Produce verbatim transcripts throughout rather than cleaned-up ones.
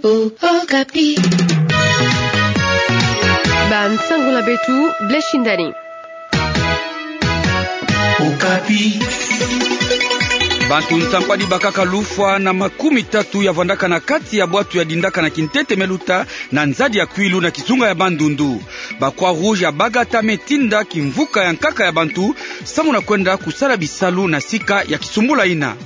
Okapi. Bansango na beto, Blaise Shindani. Okapi. Bantu nsambwadi bakaka lufwa na makumi tatu ya vwandaka na kati ya bwatu ya Dindaka na Kintete me luta na nzadi ya Kwilu na kizunga ya Bandundu. Ba Croix-Rouge ya Bagata me tinda kimvuka ya nkaka ya bantu samu na kwenda kusala bisalu na sika ya kisumbula yina.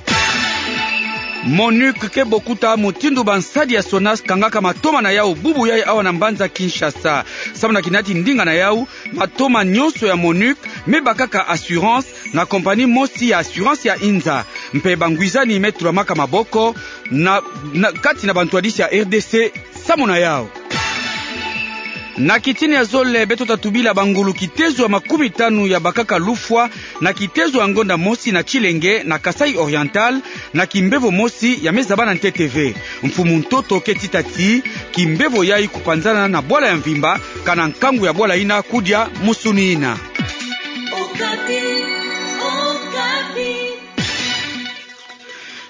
MONUC ke bokuta mutindu bansadi ya SONAS kangaka matoma na yau bubu yai awa na mbanza Kinshasa. Samu na kinati ndinga na yau, matoma nyonso ya MONUC me bakaka assurance na compagnie mosi ya assurance ya inza. Mpe bangwizani me tulamaka maboko na, na kati na bantwadisi ya R D C samu na yau. Na kitini ya zole, beto ta tubila bangulu kitezo ya makumi tanu ya bakaka lufwa na kitezo ya ngonda mosi na Tshilenge na Kasaï Oriental, na kimbevo mosi ya me zaba na ntete ve. Mfumu ntoto ke tita ti kimbevo yai kupanzana na bwala ya mvimba, kana nkangu ya bwala yina kudia musuni yina.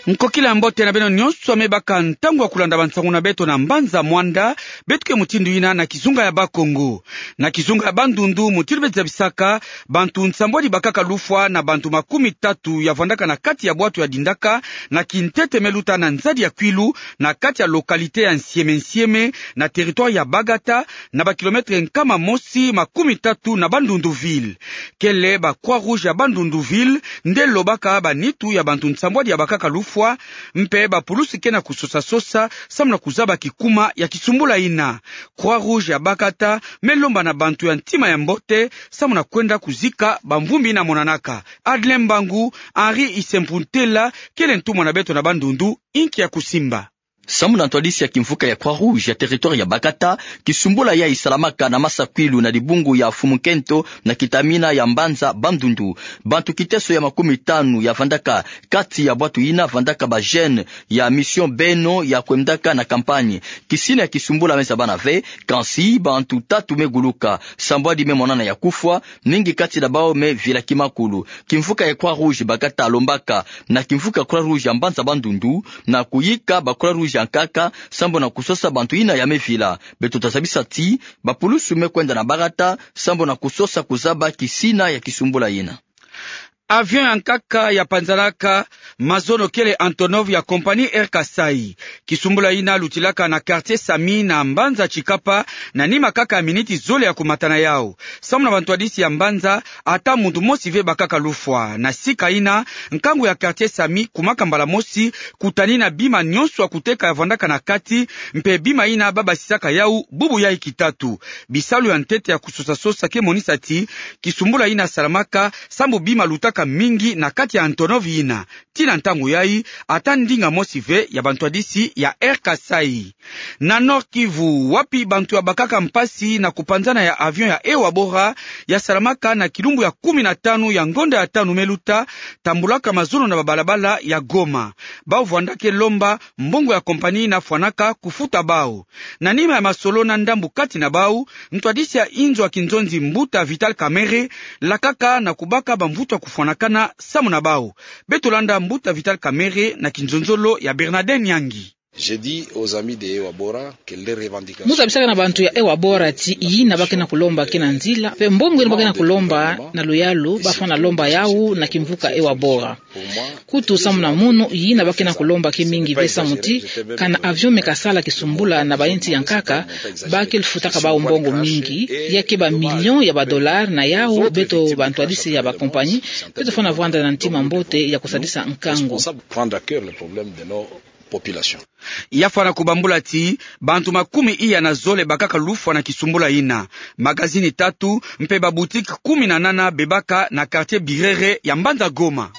Nkokila mbote na beno nyonso ya me baka ntangu ya kulanda bansangu na beto na mbanza mwanda, beto ke mutindu yina na kizunga ya Bakongo. Na kizunga ya Bandundu, mutindu beti zabisaka, bantu nsambwadi bakaka lufwa na bantu makumi tatu ya vwandaka na kati ya bwatu ya Dindaka na Kintete me luta na nzadi ya Kwilu, na kati ya localité ya Nsieme-Nsieme, na territoire ya Bagata, na ba kilomètre nkama mosi makumi tatu na Bandundu ville. Kele ba Croix-Rouge ya Bandundu ville nde lobaka banitu ya bantu nsambwadi ya bakaka lufwa, mpe bapulusi ke na kusosa-sosa samu na kuzaba kikuma ya kisumbula yina. Croix-Rouge ya Bagata me lomba na bantu ya ntima ya mbote samu na kwenda kuzika bamvumbi yina monanaka. Adlin Mbangu, Henri Isempuntela, kele ntumwa na beto na Bandundu, inki ya kusimba. Samu na ntwadisi ya kimvuka ya Croix-Rouge ya territoire ya Bagata, kisumbula yai salamaka na masa Kwilu na dibungu ya Mfumu Nkento na kitamina ya mbanza Bandundu. Bantu kiteso ya makumi tanu ya vandaka kati ya bwatu yina, vandaka ba jeunes ya Mission Beno ya kwendaka na campagne. Kisina ya kisumbula me zabana ve, kansi bantu tatu me guluka, sambwadi me monana ya kufwa, mingi kati na bau me vilaki makulu. Kimvuka ya Croix-Rouge Bagata lombaka na kimvuka Croix-Rouge ya mbanza Bandundu na kuyika ba Croix-Rouge ya nkaka sambu na kusosa bantu yina ya me vila. Beto ta zabisa ti bapulusu me kwenda na Bagata sambu na kusosa kuzaba kisina ya kisumbula yina. Avion ya nkaka ya panzanaka mazono kele Antonov ya compagnie Air Kasaï. Kisumbula yina lutilaka na quartier Sami na mbanza Tshikapa, na nima kaka ya miniti zole ya kumata na yau. Samu na bantwadisi ya mbanza, ata muntu mosi ve bakaka lufwa. Na sika yina, nkangu ya quartier Sami kumaka mbala mosi kutanina bima nyonso ya kuteka ya vandaka na kati, mpe bima yina ba basisaka yau bubu yai kitatu. Bisalu ya ntete ya kusosa-sosa ke monisa ti kisumbula yina salamaka sambu bima lutaka mingi na kati ya Antonov yina. Tii na ntangu yai, ata ndinga mosi ve ya bantwadisi ya Air Kasaï. Na Nord-Kivu, wapi bantu ya bakaka mpasi na kupanzana ya avion ya Ewabora ya salamaka na kilumbu ya kumi na tanu ya ngonda ya tanu me luta, tambulaka mazono na babalabala ya Goma. Bau vwanda ke lomba mbongo ya compagnie yina fwanaka kufuta bau. Na nima ya masolo na ndambu kati na bau, ntwadisi ya inzo ya kinzonzi, mbuta Vital Kamerhe, lakaka na kubaka bamvutu ya kufwanakana samu na bau. Beto landa mbuta Vital Kamerhe na kinzonzolo ya Bernadette Nyangi. J'ai dit aux amis de Ewabora que leurs revendications... Mu zabisaka na bantu ya Ewabora ti yina ba ke na kulomba ke na nzila, mpe mbongo yina ba ke na kulomba na luyalu, ba fwana lomba yau na kimvuka Ewabora. Kutu samu na munu, yina ba ke na kulomba ke mingi ve samu ti, kana avion me kasala kisumbula na bayinsi ya nkaka, ba ke lufutaka bau mbongo mingi, ya ke ba millions ya ba dollars. Na yau, beto bantwadisi ya ba compagnie, beto fwana vwanda na ntima mbote ya kusadisa nkangu. Prendre à cœur le problème de nos populations. Ya fwana kubambula ti, bantu makumi iya na zole bakaka lufwa na kisumbula yina. Magazini tatu, mpe ba boutique kumi na nana bebaka na quartier Birere ya mbanza Goma.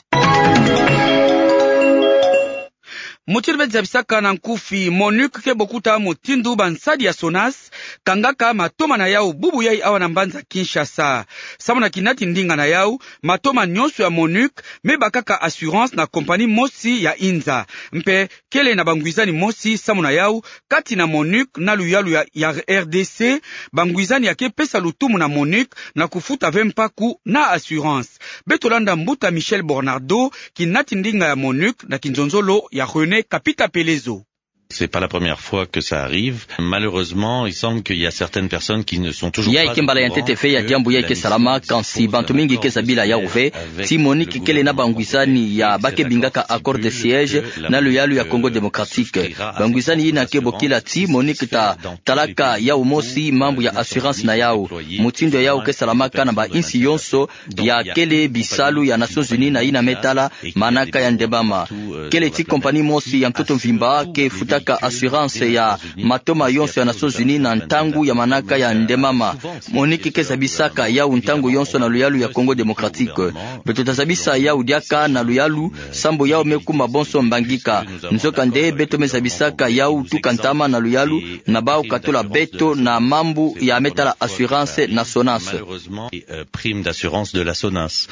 Mutindu beti zabisaka na nkufi, MONUC ke bokuta mutindu bansadi ya SONAS kangaka matoma na yau bubu yai awa na mbanza Kinshasa. Samu na kinati ndinga na yau, matoma nyonso ya MONUC me bakaka assurance na compagnie mosi ya inza. Mpe kele na bangwizani mosi samu na yau, kati na MONUC na luyalu ya, ya R D C, bangwizani ya ke pesa lutumu na MONUC na kufuta ve mpaku na assurance. Beto landa mbuta Michel Bornardo, kinati ndinga ya MONUC na kinzonzolo ya René Kapita Pelezo. C'est pas la première fois que ça arrive. Malheureusement, il semble qu'il y a certaines personnes qui ne sont toujours pas au courant que la mission de surveillance, avec le gouvernement, euh, Prime d'assurance de la SONAS, Yayi ke mbala ya ntete ve ya diambu yayi ke salama, kansi bantu mingi ke za bila yawu ve, ti MONUC kele na bangwisani ya ba ke bingaka accord de siège na luyalu ya Congo Démocratique. Bangwisani yina ke bokila ti MONUC ta talaka yawu mosi mambu ya assurance na yawu. Mutindu ya yawu ke salamaka na bainsi yonso ya kele bisalu ya Nations Unies na yina me tala manaka ya ndembama. Kele ti compagnie mosi ya ntoto mvimba ke futaka assurance ya matoma yonso ya Nations Unies na ntangu ya manaka ya ndembama. MONUC ke zabisaka yawu ntangu yonso na luyalu ya Congo Démocratique. Beto ta zabisa yawu diaka na luyalu, sambu yawu me kuma bonso mbangika. Nzokande beto me zabisaka yawu tuka ntama na luyalu, na bawu katula beto na mambu ya me tala assurance na SONAS. Malheureusement, euh, prime d'assurance de la SONAS.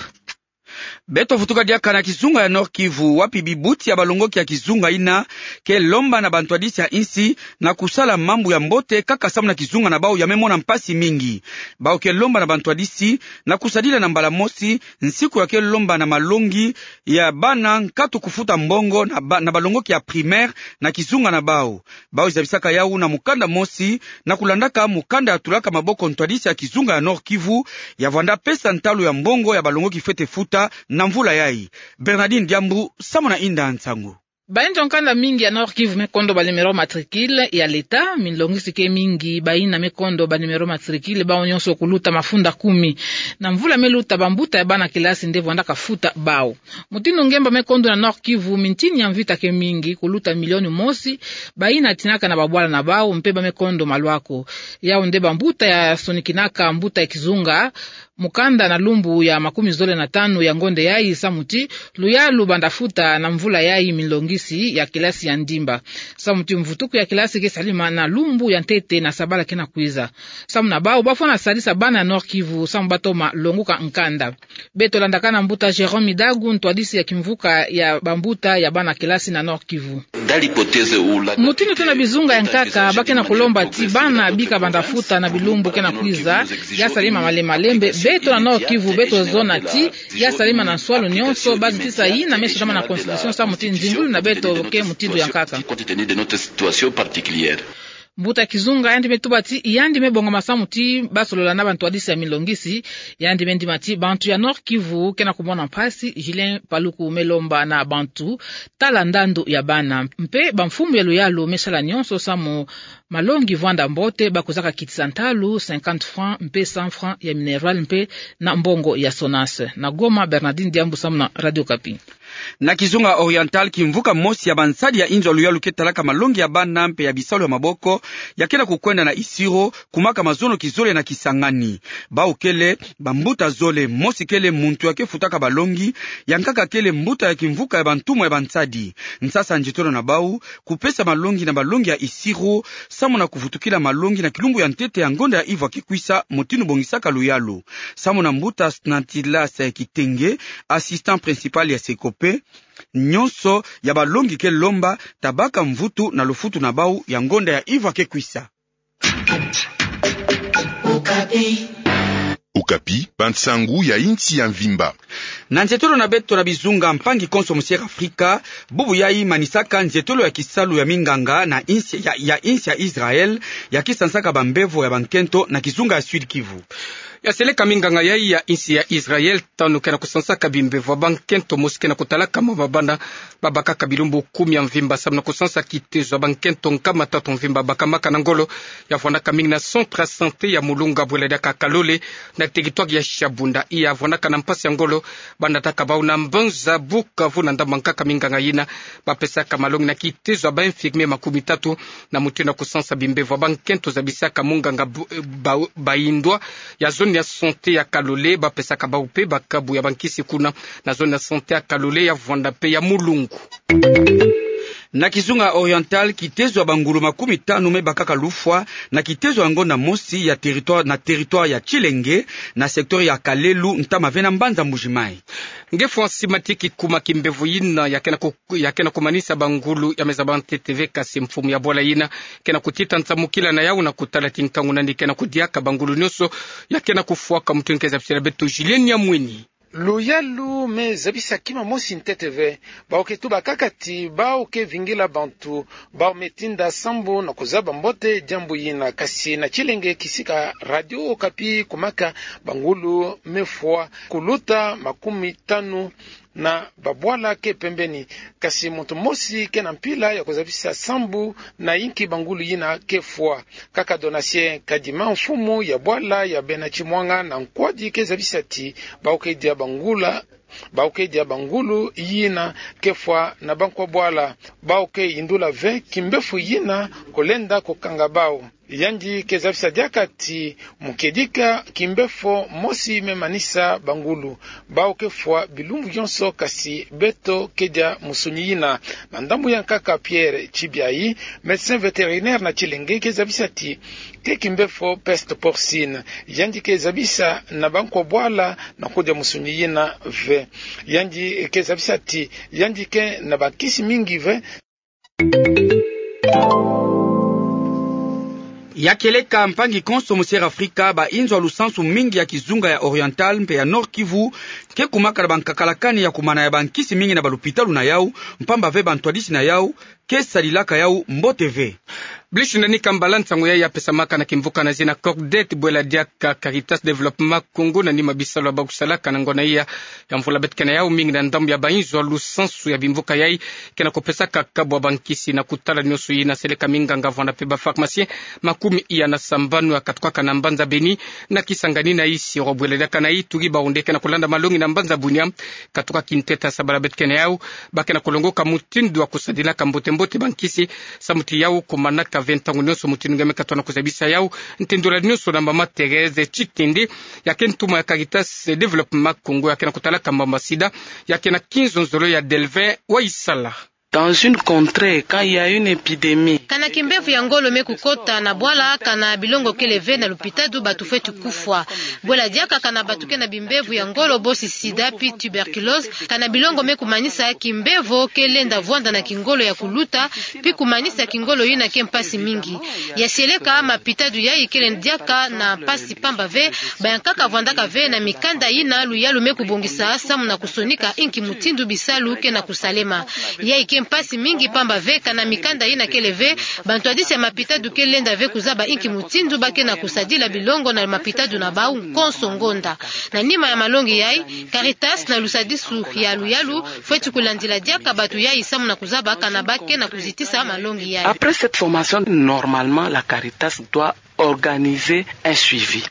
Beto vutuka diaka na kizunga ya Nord-Kivu, wapi bibuti ya balongoki ya kizunga yina ke lomba na bantwadisi ya insi na kusala mambu ya mbote, kaka samu na kizunga na bawu ya me mona mpasi mingi. Bawu ke lomba na bantwadisi na kusadila na mbala mosi nsiku ya ke lomba na malongi ya bana nkatu kufuta mbongo na ba-, na balongoki ya primaire na kizunga na bawu. Bawu zabisaka yawu na mukanda mosi, na kulandaka mukanda ya tulaka maboko ntwadisi ya kizunga ya Nord-Kivu, ya vwanda pesa ntalu ya mbongo ya balongoki fwete futa na mvula yayi. Bernardine Diambu, samu na inda nsangu. Bayinzo nkanda mingi ya Nord-Kivu me kondo ba numéro matricule ya l'État, minlongisi ke mingi bayina me kondo ba numéro matricule, bawu nyonso kuluta mafunda kumi. Na mvula me luta, bambuta ya bana kilasi nde vwandaka futa bawu. Mutindu ngemba me kondo na Nord-Kivu, mintini ya mvita ke mingi, kuluta milioni mosi bayina tinaka na babwala na bawu, mpe ba me kondo malwako. Yawu nde bambuta ya sonikinaka mbuta ya kizunga mukanda na lumbu ya makumi zole na tanu ya ngonde yayi, samu ti luyalu banda futa na mvula yayi minlongisi ya kilasi ya ndimba. Samu ti mvutuku ya kilasi ke salima na lumbu ya ntete na sabala ke na kwiza. Samu na bawu, bafwana sadisa bana ya Nord-Kivu samu ba toma longuka nkanda. Beto landaka na mbuta Jérôme Midagu, ntwadisi ya kimvuka ya bambuta ya bana kilasi na Nord-Kivu. Mutindu tuna bizunga ya nkaka, ba ke na kulomba ti bana bika banda futa na bilumbu ke na kwiza, ya salima malembe malembe. Beto na Nord-Kivu, beto zona ti ya salima na nswalu nyonso, basi ti sa yina me sudama na constitution, samu ti nzingulu na beto ke mutindu ya nkaka. Mbuta kizunga yandi me tuba ti yandi me bongama samu ti ba solola na bantwadisi ya minlongisi. Yandi me ndima ti bantu ya Nord-Kivu ke na kumona mpasi. Julien Paluku me lomba na bantu tala ndandu ya bana. Mpe bamfumu ya luyalu me sala nyonso samu malongi vwanda mbote, ba kwizaka kitisa ntalu cinquante francs mpe cent francs ya minerval mpe na mbongo ya SONAS. Na Goma, Bernardine Diambu samu na Radio Okapi. Na kizunga Oriental, kimvuka mosi ya bansadi ya inzo ya luyalu ke talaka malongi ya bana mpe ya bisalu ya maboko, ya ke na kukwenda na Isiro, kumaka mazono kizole na Kisangani. Bawu kele bambuta zole, mosi kele muntu ya ke futaka balongi, ya nkaka kele mbuta ya kimvuka ya bantumwa ya bansadi. Nsasa nzietolo na bawu, kupesa malongi na balongi ya Isiro, samu na kuvutukila malongi na kilumbu ya ntete ya ngonda ya ivwa ke kwisa, mutindu bongisaka luyalu. Samu na mbuta Snatilas Kitenge, assistant principal ya Secope, nyonso ya balongi ke lomba tabaka mvutu na lufutu na bawu ya ngonda ya ivwa ke kwisa. Okapi, bansangu ya insi ya mvimba. Na nzietolo na beto na bizunga, mpangi konso musiere Afrika, bubu yayi manisaka nzietolo ya kisalu ya minganga na insi ya, ya insi ya Israël, ya ke sansaka bambevo ya bankento na kizunga ya Sud-Kivu. Ya seleka minganga yayi ya insi ya Israël, tanu ke na kusansaka bimbevo ya bankento, mosi ke na kutalaka mama bana ba bakaka bilumbu kumi ya mvimba samu na kusansa kitezo ya bankento nkama tatu mvimba bakamaka na ngolo. Ya vwandaka mingi na centre ya santé ya Mulunga, bwela diaka Kalole, na territoire ya Shabunda. Ya vwandaka na mpasi ya ngolo, ba nataka bawu na mbanza Bukavu na ndambu ya nkaka minganga yina ba pesaka malongi na kitezo ya ba infirmier makumi tatu, na mutindu ya kusansa bimbevo ya bankento, zabisaka munganga Bu-, Ba-, Baindwa ya zone ya santé ya Kalole. Ba pesaka bawu mpe bakabu ya bankisi kuna na zone ya santé ya Kalole, ya Vwanda mpe ya Mulungu. Na kizunga Oriental, kitezo ya bangulu makumi tanu me bakaka lufwa na kitezo ya ngonda mosi ya territoire, na territoire ya Tshilenge, na secteur ya Kalelu, ntama ve na mbanza Mbuji-Mayi. Nge fwa nsima ti kikuma kimbevo yina ya ke na ku-, ya ke na kumanisa bangulu ya me zaba ntete ve, kasi mfumu ya bwala yina ke na kutita nsamukila na yawu na kutala ti nkangu nani ke na kudiaka bangulu nyonso ya ke na kufwaka. Mutindu ke zabisila beto Julien Nyamwini. Luyalu me zabisa kima mosi ntete ve. Bawu ke tuba kaka ti bawu ke vingila bantu, bawu me tinda sambu na kuzaba mbote diambu yina, kasi na tilenge kisika Radio Okapi kumaka, bangulu me fwa kuluta makumi tanu na babwala ke pembeni. Kasi muntu mosi ke na mpila ya kuzabisa sambu na inki bangulu yina ke fwa. Kaka Donatien Kadima, mfumu ya bwala ya bena Kimwanga na Nkwadi, ke zabisa ti bawu ke dia bangula, bawu ke dia bangulu yina ke fwa na bankwa bwala. Bawu ke yindula ve kimbefo yina kolenda kukanga bawu. Yandi ke zabisa diaka ti mu kedika kimbefo mosi me manisa bangulu. Bawu ke fwa bilumbu yonso, kasi beto ke dia musunyi yina. Na ndambu ya nkaka Pierre Chibiayi, médecin vétérinaire na tilenge, ke zabisa ti ke kimbefo peste porcine. Yandi ke zabisa na bankwa bwala na kudia musunyi yina ve. Yandi ke zabisa ti yandi ke na bankisi mingi ve. Ya kieleka mpangi konso mu Sierra Afrika, ba inzo ya lusansu mingi ya kizunga ya Oriental mpe ya Nord-Kivu ke kumaka na bankakalakani ya kumana ya bankisi mingi na balupitalu na yawu, mpamba ve bantwadisi na yawu ke sadilaka yawu mbote ve. Blish Ndani Kambala, nsangu yayi ya pesamaka na kimvuka na zina Cordette, bwela diaka Caritas Développement Congo, na nima bisalu ya ba kusalaka na ngonda iya ya mvula beto ke na yawu mingi na ndambu ya ba inzo ya lusansu ya bimvuka yayi ke na kupesaka kabu ya bankisi na kutala nionso yina seleka minganga vwanda mpe ba pharmaciens makumi iya na sambanu ya katukaka na mbanza Beni na Kisangani na Isiro. Bwela diaka na Ituri, bawu nde ke na kulanda malongi na mbanza Bunia, katuka kinteta sabala beto ke na yawu, ba ke na kulongoka mutindu ya kusadilaka mbote mbote bankisi, samu ti yawu kumanaka ve ntangu nionso mutindu nge me katuka na kuzabisa yawu. Ntindula nionso na mama Thérèse Tshitende, ya ke ntuma ya Caritas Développement Congo, ya ke na kutalaka mamba sida, ya ke na kinzonzolo ya Delvin Waisala. Dans une contrée, quand il y a une épidémie. Kana kimbevo ya ngolo me kukota na bwala, kana bilongo kele ve na lupitalu, bantu fweti kufwa. Bwela diaka kana bantu ke na bimbevo ya ngolo, bosi sida, pi tuberculose, kana bilongo me kumanisa kimbevo ke lenda vwanda na kingolo ya kuluta, pi kumanisa kingolo yina ke mpasi mingi. Ya sieleka mapitalu yayi kele diaka na mpasi mpamba ve, bayankaka vwandaka ve na mikanda yina luyalu me kubongisa samu na kusonika inki mutindu bisalu ke na kusalema. Yayi ke mpasi mingi mpamba ve kana mikanda yina kele ve, bantwadisi ya mapitalu ke lenda ve kuzaba inki mutindu ba ke na kusadila bilongo na mapitalu na bawu konso ngonda. Na nima ya malongi yayi, Caritas na lusadisu ya luyalu fweti kulandila diaka bantu yayi samu na kuzaba kana ba ke na kuzitisa malongi yayi. Après cette formation, normalement, la Caritas doit organiser un suivi.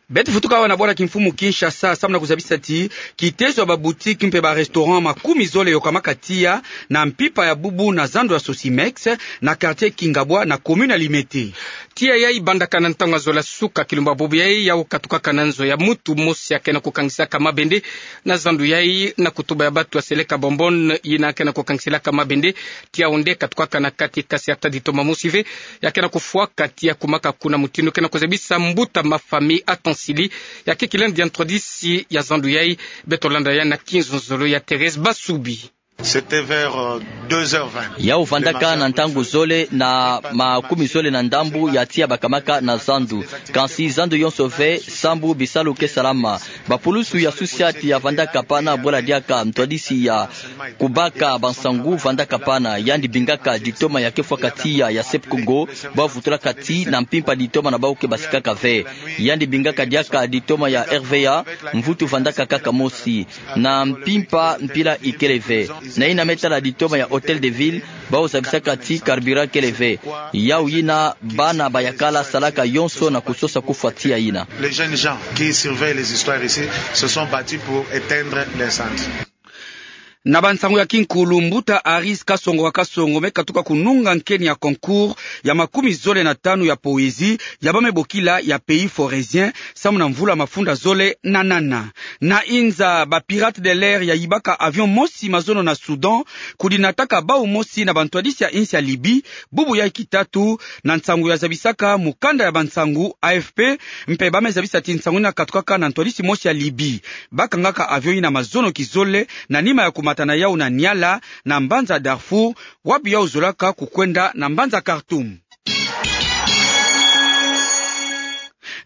Beto futuka awa na bwala kimfumu Kinshasa, samu na kuzabisa ti kitezo ya ba boutique mpe ba restaurant makumi zole yokamaka tiya na mpimpa ya bubu na zandu ya Sosimex, na quartier Kingabwa, na commune ya Limete. Tiya yayi bandaka na ntangu ya zola suka kilumbu ya bubu yayi, yawu katukaka na nzo ya mutu mosi ya ke na kukangisaka mabende na zandu yayi, na kutuba ya bantu ya seleka bonbonne yina ke na kukangisilaka mabende. Tiya yawu nde katukaka na kati, kasi ata ditoma mosi ve ya ke na kufwaka tiya, kumaka kuna mutindu ke na kuzabisa mbuta ma famille Atansili, ya ke kilendi ya ntwadisi ya zandu yayi. Beto landa ya na kinzonzolo ya Thérèse Basubi. C'était vers, euh, deux heures vingt. Yawu vandaka na ntangu zole na makumi zole na ndambu ya tiya bakamaka na zandu. Kansi zandu yonso ve, sambu bisalu ke salama. Bapulusu ya susiati ya vandaka pana, bwela diaka ntwadisi ya kubaka bansangu vandaka pana. Yandi bingaka ditoma ya ke fwaka tiya ya Sep Congo, ba vutulaka ti na mpimpa ditoma na bawu ke basikaka ve. Yandi bingaka diaka ditoma ya R V A, mvutu vandaka kaka mosi. Na mpimpa mpila ikele ve. Na yina me tala ditoma ya Hôtel de Ville, bawu zabisaka ti carburant kele ve. Yawu yina bana ba yakala salaka yonso na kusosa kufwa tiya yina. Les jeunes gens qui surveillent les histoires ici se sont battus pour éteindre l'incendie. Na bansangu ya kinkulu, mbuta Aris Kasongo wa Kasongo me katuka kununga nkeni ya concours ya makumi zole na tanu ya poésie ya ba me bokila ya Pays Forestier, samu na mvula mafunda zole na nana. Na inza, ba pirates de l'air ya yibaka avion mosi mazono na Soudan, kudinataka bawu mosi na bantwadisi ya insi ya Libye, bubu yayi kitatu, na nsangu ya zabisaka mukanda ya bansangu A F P, mpe ba me zabisa ti nsangu yina katukaka na ntwadisi mosi ya Libye. Ba kangaka avion yina mazono kizole, na nima ya kumata na yawu na Niala, na mbanza Darfour, wapi yawu zolaka kukwenda na mbanza Khartoum.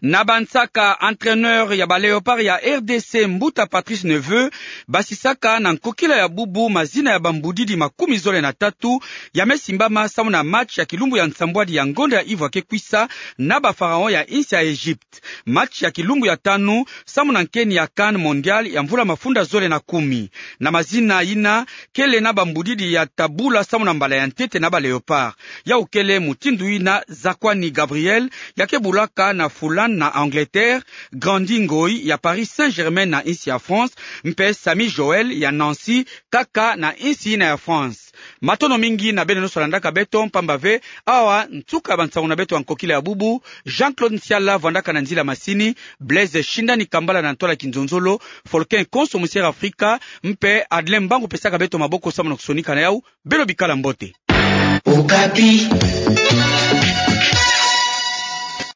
Na bansaka, entraîneur ya ba Léopards ya R D C, mbuta Patrice Neveu, basisaka na nkokila ya bubu mazina ya bambudidi makumi zole na tatu ya mesimbama samu na match ya kilumbu ya nsambwadi ya ngonda ya ivo ya ke kwisa na ba Pharaons ya insi ya Egypte. Match ya kilumbu ya tanu samu na nkeni ya CAN Mondial ya mvula mafunda zole na kumi. Na mazina yina kele na bambudidi ya tabula samu na mbala ya ntete na ba Léopards. Yau kele mutindu yina Zakuani Gabriel, ya ke bulaka na Fulham na Angleterre, Grandi Ngoyi ya Paris Saint-Germain na insi ya France, mpe Sami Joël ya Nancy, kaka na insi yina ya France. Matondo mingi na beno nyonso landaka beto, mpamba ve awa nsuka ya bansangu na beto ya nkokila ya bubu. Jean-Claude Nsiala vwandaka na nzila masini, Blaise Shindani Kambala na ntwala kinzonzolo, Folkin Konso Musiere Afrika, mpe Adlin Mbangu pesaka beto maboko samu na kusonika na yau. Beno bikala mbote. Okapi.